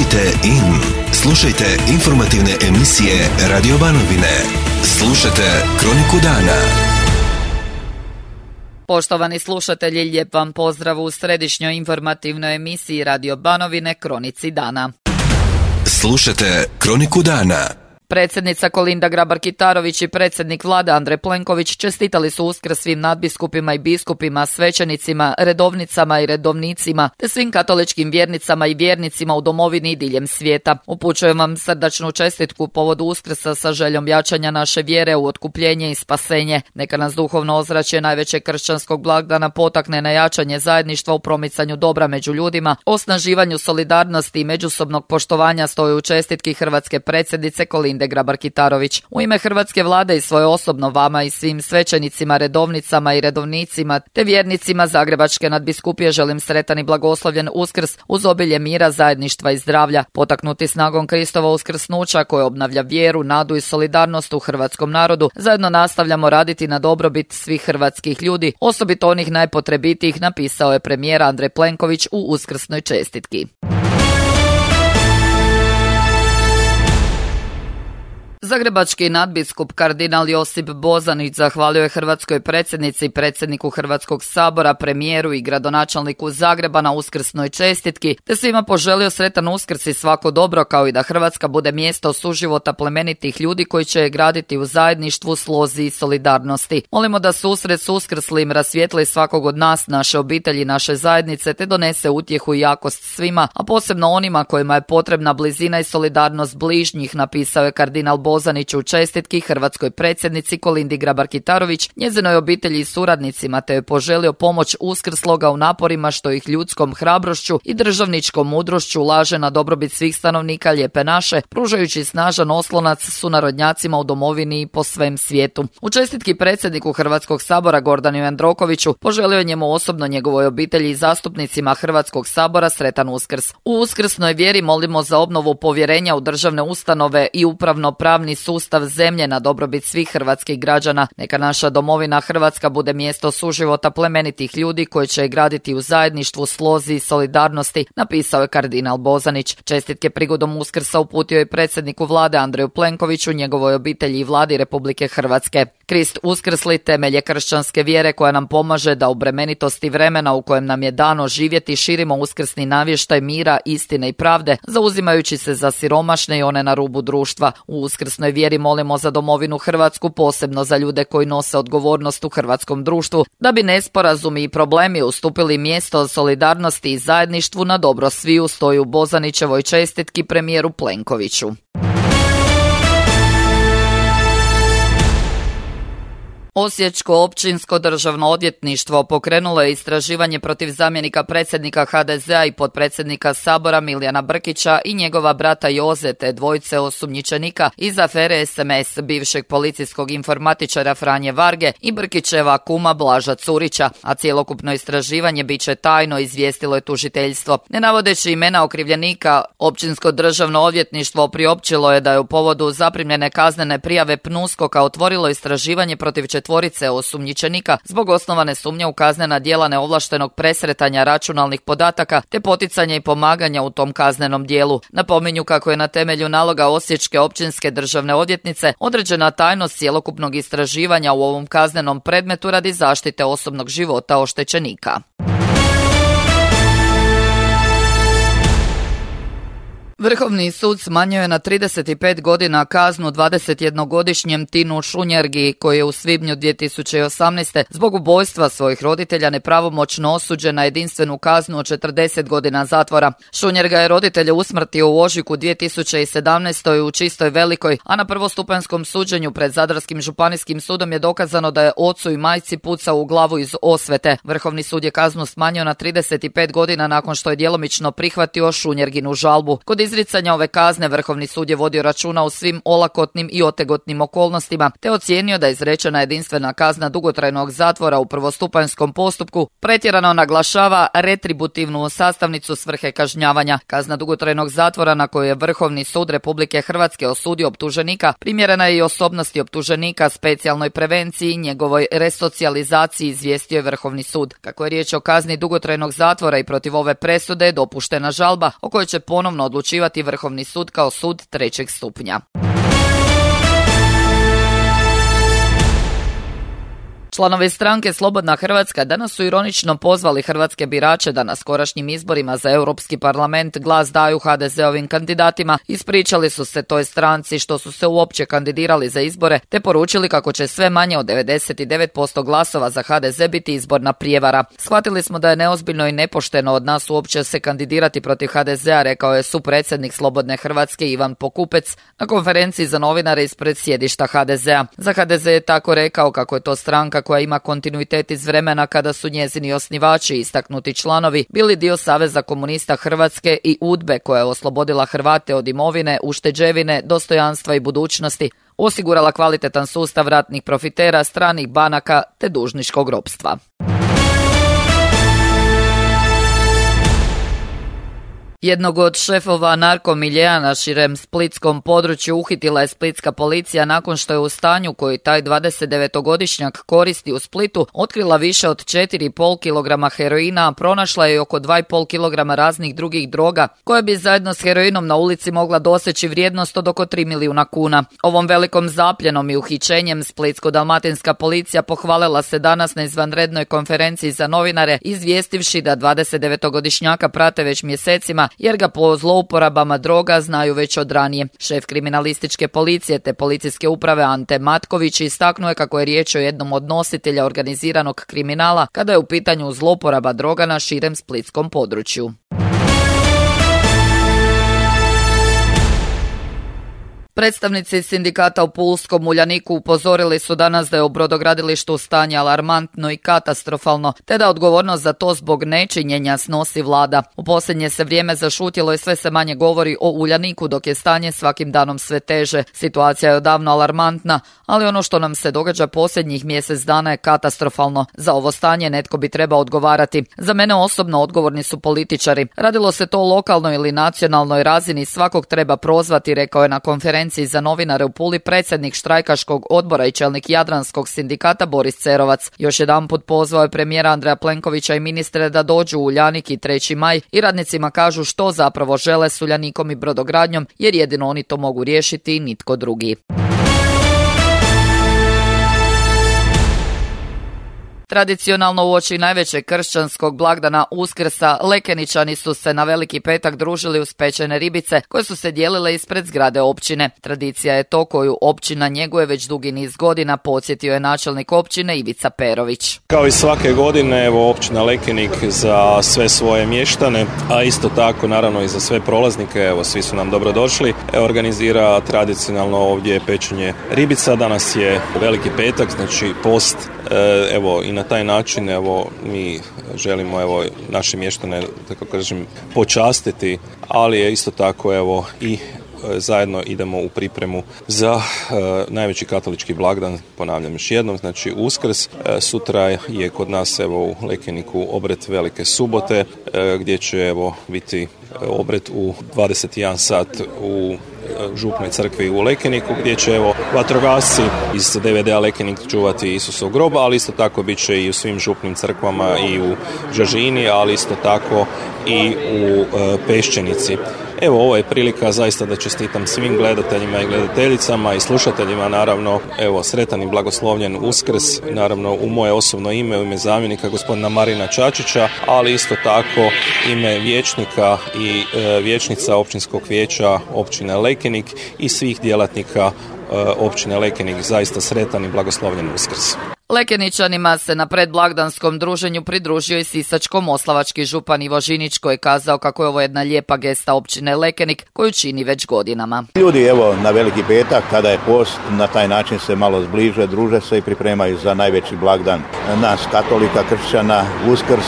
Tunite in. Slušajte informativne emisije Radio Banovine. Slušajte Kroniku dana. Poštovani slušatelji, lijep vam pozdrav u središnjoj informativnoj emisiji Radio Banovine Kronici dana. Slušajte Kroniku dana. Predsjednica Kolinda Grabar-Kitarović i predsjednik Vlade Andrej Plenković čestitali su Uskrs svim nadbiskupima i biskupima, svećenicima, redovnicama i redovnicima, te svim katoličkim vjernicama i vjernicima u domovini i diljem svijeta. Upućujem vam srdačnu čestitku povodu Uskrsa sa željom jačanja naše vjere u otkupljenje i spasenje. Neka nas duhovno ozračje najvećeg kršćanskog blagdana potakne na jačanje zajedništva u promicanju dobra među ljudima, osnaživanju solidarnosti i međusobnog poštovanja, stoji u čestitki hrvatske predsjednice Kolinde Grabar-Kitarović. U ime hrvatske vlade i svoje osobno vama i svim svećenicima, redovnicama i redovnicima te vjernicima Zagrebačke nadbiskupije želim sretan i blagoslovljen Uskrs uz obilje mira, zajedništva i zdravlja. Potaknuti snagom Kristova uskrsnuća koje obnavlja vjeru, nadu i solidarnost u hrvatskom narodu, zajedno nastavljamo raditi na dobrobit svih hrvatskih ljudi, osobito onih najpotrebitijih, napisao je premijer Andrej Plenković u uskrsnoj čestitki. Zagrebački nadbiskup kardinal Josip Bozanić zahvalio je hrvatskoj predsjednici i predsjedniku Hrvatskog sabora, premijeru i gradonačelniku Zagreba na uskrsnoj čestitki, te svima poželio sretan Uskrs i svako dobro, kao i da Hrvatska bude mjesto suživota plemenitih ljudi koji će je graditi u zajedništvu, slozi i solidarnosti. Molimo da susret s uskrslim rasvijetli svakog od nas, naše obitelji, naše zajednice, te donese utjehu i jakost svima, a posebno onima kojima je potrebna blizina i solidarnost bližnjih, napisao je kardinal Bozanić u čestitki hrvatskoj predsjednici Kolindi Grabar-Kitarović, njezinoj obitelji i suradnicima, te je poželio pomoć uskrsloga u naporima što ih ljudskom hrabrošću i državničkom mudrošću ulaže na dobrobit svih stanovnika Lijepe naše, pružajući snažan oslonac sunarodnjacima u domovini i po svem svijetu. U čestitki predsjedniku Hrvatskog sabora Gordanu Jandrokoviću poželio je njemu osobno, njegovoj obitelji i zastupnicima Hrvatskog sabora sretan Uskrs. U uskrsnoj vjeri molimo za obnovu povjerenja u državne ustanove i upravno-pravni sustav zemlje na dobrobit svih hrvatskih građana. Neka naša domovina Hrvatska bude mjesto suživota plemenitih ljudi koji će je graditi u zajedništvu, slozi i solidarnosti, napisao je kardinal Bozanić. Čestitke prigodom Uskrsa uputio je predsjedniku Vlade Andreju Plenkoviću, njegovoj obitelji i Vladi Republike Hrvatske. Krist uskrsli temelj je kršćanske vjere koja nam pomaže da u bremenitosti vremena u kojem nam je dano živjeti širimo uskrsni navještaj mira, istine i pravde, zauzimajući se za siromašne i one na rubu društva. U uskrsnoj vjeri molimo za domovinu Hrvatsku, posebno za ljude koji nose odgovornost u hrvatskom društvu, da bi nesporazumi i problemi ustupili mjesto solidarnosti i zajedništvu na dobro sviju, stoji u Bozanićevoj čestitki premijeru Plenkoviću. Osječko općinsko državno odvjetništvo pokrenulo je istraživanje protiv zamjenika predsjednika HDZ-a i potpredsjednika Sabora Milijana Brkića i njegova brata Joze, te dvojice osumnjičenika iz afere SMS bivšeg policijskog informatičara Franje Varge i Brkićeva kuma Blaža Curića, a cjelokupno istraživanje bit će tajno, izvijestilo je tužiteljstvo. Ne navodeći imena okrivljenika, općinsko državno odvjetništvo priopćilo je da je u povodu zaprimljene kaznene prijave PNUSKOK-a otvorilo istraživanje protiv četvorice osumnjičenika zbog osnovane sumnje u kaznena djela neovlaštenog presretanja računalnih podataka te poticanja i pomaganja u tom kaznenom djelu. Napominju kako je na temelju naloga Osječke općinske državne odvjetnice određena tajnost cjelokupnog istraživanja u ovom kaznenom predmetu radi zaštite osobnog života oštećenika. Vrhovni sud smanjio je na 35 godina kaznu 21-godišnjem Tinu Šunjergi, koji je u svibnju 2018. zbog ubojstva svojih roditelja nepravomoćno osuđen na jedinstvenu kaznu od 40 godina zatvora. Šunjerga je roditelje usmrtio u ožujku 2017. u Čistoj Velikoj, a na prvostupanjskom suđenju pred Zadarskim županijskim sudom je dokazano da je ocu i majci pucao u glavu iz osvete. Vrhovni sud je kaznu smanjio na 35 godina nakon što je djelomično prihvatio Šunjerginu žalbu. Kod izricanja ove kazne Vrhovni sud je vodio računa o svim olakotnim i otegotnim okolnostima, te ocijenio da je izrečena jedinstvena kazna dugotrajnog zatvora u prvostupanjskom postupku pretjerano naglašava retributivnu sastavnicu svrhe kažnjavanja. Kazna dugotrajnog zatvora na koju je Vrhovni sud Republike Hrvatske osudio optuženika primjerena je i osobnosti optuženika, specijalnoj prevenciji i njegovoj resocijalizaciji, izvijestio je Vrhovni sud. Kako je riječ o kazni dugotrajnog zatvora i protiv ove presude je dopuštena žalba o kojoj će ponovno odlučivati ocjenjivati Vrhovni sud kao sud trećeg stupnja. Članovi stranke Slobodna Hrvatska danas su ironično pozvali hrvatske birače da na skorašnjim izborima za Europski parlament glas daju HDZ-ovim kandidatima, ispričali su se toj stranci što su se uopće kandidirali za izbore, te poručili kako će sve manje od 99% glasova za HDZ biti izborna prijevara. Shvatili smo da je neozbiljno i nepošteno od nas uopće se kandidirati protiv HDZ-a, rekao je supredsjednik Slobodne Hrvatske Ivan Pokupec na konferenciji za novinare ispred sjedišta HDZ-a. Za HDZ je tako rekao kako je to stranka koja ima kontinuitet iz vremena kada su njezini osnivači, istaknuti članovi, bili dio Saveza komunista Hrvatske i UDBE koja je oslobodila Hrvate od imovine, ušteđevine, dostojanstva i budućnosti, osigurala kvalitetan sustav ratnih profitera, stranih banaka te dužničkog ropstva. Jednog od šefova narkomiljea na širem splitskom području uhitila je splitska policija nakon što je u stanju koji taj 29-godišnjak koristi u Splitu otkrila više od 4,5 kg heroina, a pronašla je oko 2,5 kg raznih drugih droga koje bi zajedno s heroinom na ulici mogla doseći vrijednost od oko 3 milijuna kuna. Ovom velikom zapljenom i uhićenjem splitsko-dalmatinska policija pohvalila se danas na izvanrednoj konferenciji za novinare, izvijestivši da 29-godišnjaka prate već mjesecima jer ga po zlouporabama droga znaju već od ranije. Šef kriminalističke policije te policijske uprave Ante Matković istaknuo je kako je riječ o jednom od nositelja organiziranog kriminala kada je u pitanju zlouporaba droga na širem splitskom području. Predstavnici sindikata u Pulskom Uljaniku upozorili su danas da je u brodogradilištu stanje alarmantno i katastrofalno, te da odgovornost za to zbog nečinjenja snosi vlada. U posljednje se vrijeme zašutjelo i sve se manje govori o Uljaniku, dok je stanje svakim danom sve teže. Situacija je odavno alarmantna, ali ono što nam se događa posljednjih mjesec dana je katastrofalno. Za ovo stanje netko bi trebao odgovarati. Za mene osobno odgovorni su političari. Radilo se to o lokalnoj ili nacionalnoj razini, svakog treba prozvati, rekao je na konferenciji za novinare u Puli predsjednik štrajkaškog odbora i čelnik Jadranskog sindikata Boris Cerovac. Još jedanput pozvao je premijera Andreja Plenkovića i ministre da dođu u Uljanik i 3. maj i radnicima kažu što zapravo žele s Uljanikom i brodogradnjom, jer jedino oni to mogu riješiti i nitko drugi. Tradicionalno uoči najvećeg kršćanskog blagdana Uskrsa, Lekeničani su se na Veliki petak družili uz pečene ribice koje su se dijelile ispred zgrade općine. Tradicija je to koju općina njeguje već dugi niz godina, podsjetio je načelnik općine Ivica Perović. Kao i svake godine, evo, općina Lekenik za sve svoje mještane, a isto tako naravno i za sve prolaznike, evo, svi su nam dobrodošli, organizira tradicionalno ovdje pečenje ribica. Danas je Veliki petak, znači post, evo, i na taj način, evo, mi želimo, evo, naše mještane, tako kažem, počastiti, ali je isto tako, evo, i zajedno idemo u pripremu za najveći katolički blagdan, ponavljam još jednom, znači Uskrs. Sutra je kod nas, evo, u Lekeniku obred Velike subote, gdje će, evo, biti obred u 21 sat u župnoj crkvi u Lekeniku, gdje će, evo, vatrogasci iz DVD-a Lekenik čuvati Isusov grob, ali isto tako bit će i u svim župnim crkvama i u Žažini, ali isto tako i u Peščenici. Evo, ovo je prilika zaista da čestitam svim gledateljima i gledateljicama i slušateljima, naravno, evo, sretan i blagoslovljen Uskrs, naravno u moje osobno ime, u ime zamjenika gospodina Marina Čačića, ali isto tako ime vijećnika i vijećnica općinskog vijeća općine Lekenik i svih djelatnika općine Lekenik, zaista sretan i blagoslovljen Uskrs. Lekeničanima se na predblagdanskom druženju pridružio i sisačko-moslavački župan Ivo Žinić koji je kazao kako je ovo jedna lijepa gesta općine Lekenik koju čini već godinama. Ljudi, evo, na Veliki petak kada je post, na taj način se malo zbliže, druže se i pripremaju za najveći blagdan nas katolika, kršćana, Uskrs,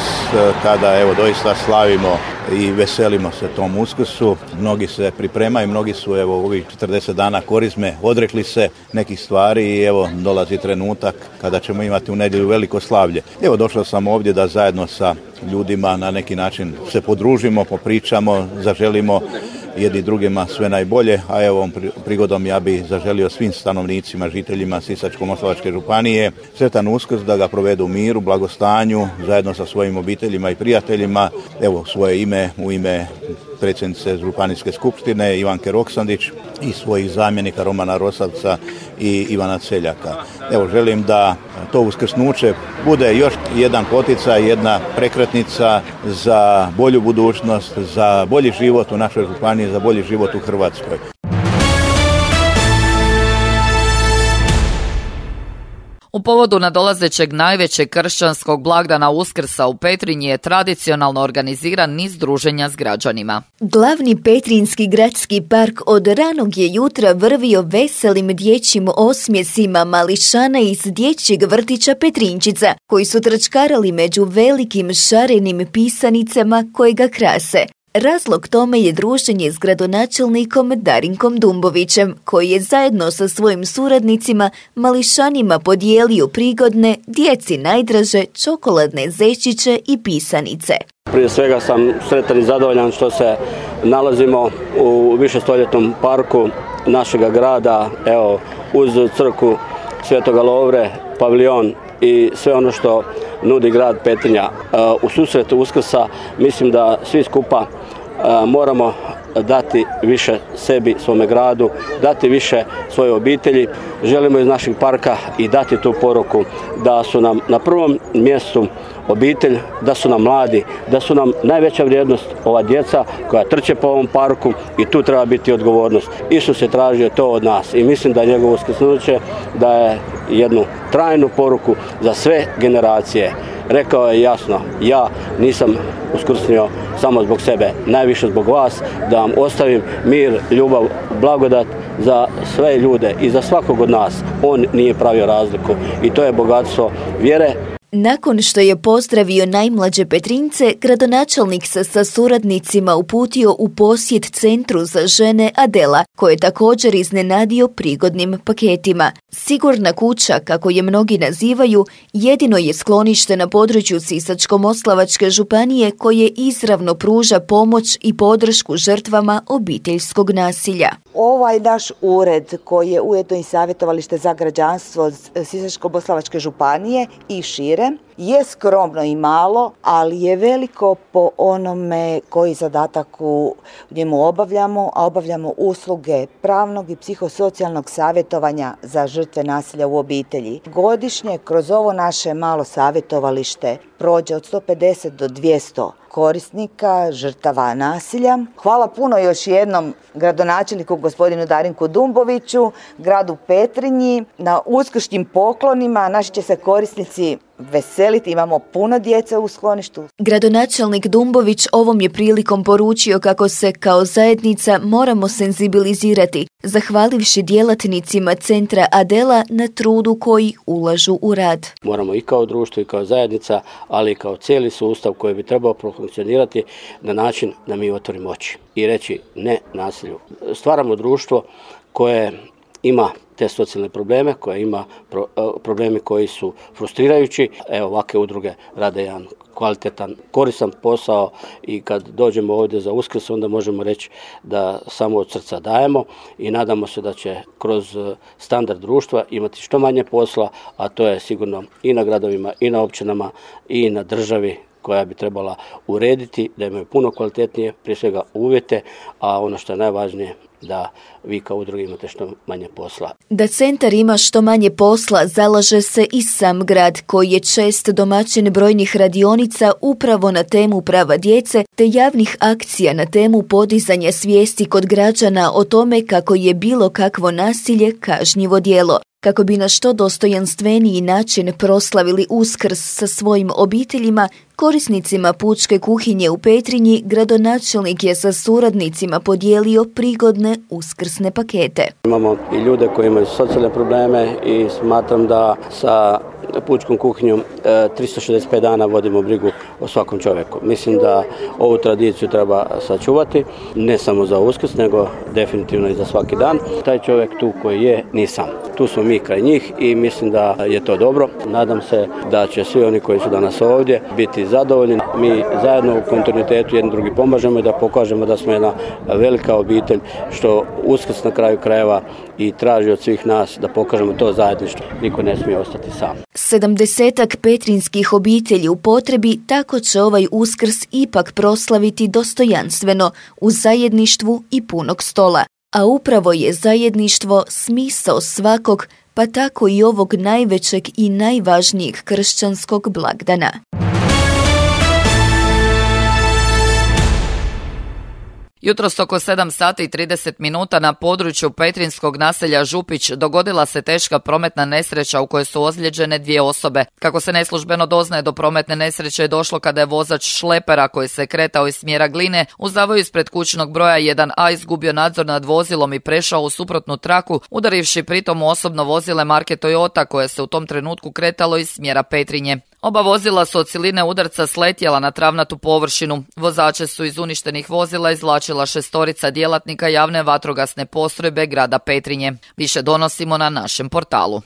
kada, evo, doista slavimo i veselimo se tom Uskrsu. Mnogi se pripremaju, mnogi su, evo, ovih 40 dana korizme odrekli se nekih stvari i evo dolazi trenutak kada ćemo imati u nedjelju veliko slavlje. Evo, došao sam ovdje da zajedno sa ljudima na neki način se podružimo, popričamo, zaželimo jedni drugima sve najbolje, a evo ovom prigodom ja bih zaželio svim stanovnicima, žiteljima Sisačko-moslavačke županije sretan Uskrs, da ga provedu u miru, blagostanju, zajedno sa svojim obiteljima i prijateljima. Evo, svoje ime, u ime predsjednice Županijske skupštine Ivanke Roksandić i svojih zamjenika Romana Rosavca i Ivana Celjaka. Evo, želim da to uskrsnuće bude još jedan poticaj, jedna prekretnica za bolju budućnost, za bolji život u našoj županiji, za bolji život u Hrvatskoj. U povodu nadolazećeg najvećeg kršćanskog blagdana Uskrsa u Petrinji je tradicionalno organiziran niz druženja s građanima. Glavni petrinjski gradski park od ranog je jutra vrvio veselim dječjim osmjesima mališana iz dječjeg vrtića Petrinčica, koji su trčkarali među velikim šarenim pisanicama koje ga krase. Razlog tome je druženje s gradonačelnikom Darinkom Dumbovićem, koji je zajedno sa svojim suradnicima mališanima podijelio prigodne, djeci najdraže čokoladne zečiće i pisanice. Prije svega sam sretan i zadovoljan što se nalazimo u višestoljetnom parku našega grada, evo, uz crkvu Svetoga Lovre, paviljon i sve ono što nudi grad Petrinja. U susretu Uskrsa mislim da svi skupa moramo dati više sebi, svome gradu, dati više svojoj obitelji. Želimo iz našeg parka i dati tu poruku da su nam na prvom mjestu obitelj, da su nam mladi, da su nam najveća vrijednost ova djeca koja trče po ovom parku i tu treba biti odgovornost. Isus je tražio to od nas i mislim da njegovo uskrsnuće daje jednu trajnu poruku za sve generacije. Rekao je jasno, ja nisam uskrsnio samo zbog sebe, najviše zbog vas, da vam ostavim mir, ljubav, blagodat za sve ljude i za svakog od nas. On nije pravio razliku i to je bogatstvo vjere. Nakon što je pozdravio najmlađe Petrinjce, gradonačelnik se sa suradnicima uputio u posjet centru za žene Adela, koje je također iznenadio prigodnim paketima. Sigurna kuća, kako je mnogi nazivaju, jedino je sklonište na području Sisačko-moslavačke županije koje izravno pruža pomoć i podršku žrtvama obiteljskog nasilja. Ovaj naš ured, koji je ujedno i savjetovalište za građanstvo Sisačko-moslavačke županije i šire, je skromno i malo, ali je veliko po onome koji zadatak u njemu obavljamo, a obavljamo usluge pravnog i psihosocijalnog savjetovanja za žrtve nasilja u obitelji. Godišnje kroz ovo naše malo savjetovalište prođe od 150 do 200 korisnika, žrtava nasilja. Hvala puno još jednom gradonačelniku gospodinu Darinku Dumboviću, gradu Petrinji, na uskršnjim poklonima. Naši će se korisnici veseliti, imamo puno djece u skloništu. Gradonačelnik Dumbović ovom je prilikom poručio kako se kao zajednica moramo senzibilizirati, zahvalivši djelatnicima centra Adela na trudu koji ulažu u rad. Moramo i kao društvo i kao zajednica, ali i kao cijeli sustav koji bi trebao profunkcionirati na način da mi otvorimo oči i reći ne nasilju. Stvaramo društvo koje ima te socijalne probleme, koje ima problemi koji su frustrirajući. Evo, ovakve udruge rade jedan kvalitetan, koristan posao i kad dođemo ovdje za Uskrs onda možemo reći da samo od srca dajemo i nadamo se da će kroz standard društva imati što manje posla, a to je sigurno i na gradovima i na općinama i na državi koja bi trebala urediti, da imaju puno kvalitetnije, prije svega uvjete, a ono što je najvažnije, da vi kao udruge imate što manje posla. Da centar ima što manje posla zalaže se i sam grad, koji je čest domaćin brojnih radionica upravo na temu prava djece te javnih akcija na temu podizanja svijesti kod građana o tome kako je bilo kakvo nasilje kažnjivo djelo. Kako bi na što dostojanstveniji način proslavili Uskrs sa svojim obiteljima, korisnicima pučke kuhinje u Petrinji, gradonačelnik je sa suradnicima podijelio prigodne uskrsne pakete. Imamo i ljude koji imaju socijalne probleme i smatram da sa pučkom kuhinjom 365 dana vodimo brigu o svakom čovjeku. Mislim da ovu tradiciju treba sačuvati, ne samo za Uskrs, nego definitivno i za svaki dan. Taj čovjek tu koji je, nisam. Tu smo mi kraj njih i mislim da je to dobro. Nadam se da će svi oni koji su danas ovdje biti zadovoljni. Mi zajedno u kontinuitetu jedni drugi pomažemo i da pokažemo da smo jedna velika obitelj, što Uskrs na kraju krajeva i traži od svih nas da pokažemo to zajedništvo. Niko ne smije ostati sam. 70-ak petrinskih obitelji u potrebi tako će ovaj Uskrs ipak proslaviti dostojanstveno u zajedništvu i punog stola. A upravo je zajedništvo smisao svakog, pa tako i ovog najvećeg i najvažnijeg kršćanskog blagdana. Jutros oko 7 sati i 30 minuta na području petrinskog naselja Župić dogodila se teška prometna nesreća u kojoj su ozlijeđene 2 osobe. Kako se neslužbeno doznaje, do prometne nesreće je došlo kada je vozač šlepera koji se kretao iz smjera Gline u zavoju ispred kućnog broja 1A izgubio nadzor nad vozilom i prešao u suprotnu traku, udarivši pritom u osobno vozile marke Toyota koje se u tom trenutku kretalo iz smjera Petrinje. Oba vozila su od siline udarca sletjela na travnatu površinu. Vozače su iz uništenih vozila izvlačila 6 djelatnika javne vatrogasne postrojbe grada Petrinje. Više donosimo na našem portalu.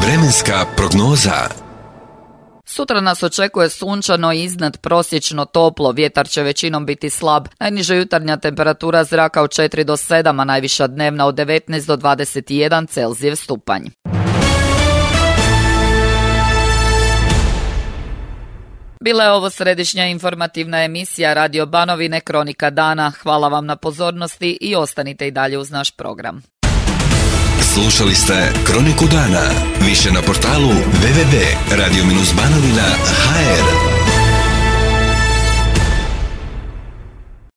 Vremenska prognoza. Sutra nas očekuje sunčano i iznad prosječno toplo, vjetar će većinom biti slab. Najniža jutarnja temperatura zraka od 4 do 7, a najviša dnevna od 19 do 21 Celzijev stupanj. Bila je ovo središnja informativna emisija Radio Banovine Kronika dana. Hvala vam na pozornosti i ostanite i dalje uz naš program. Slušali ste Kroniku dana. Više na portalu www.radio-banovina.hr.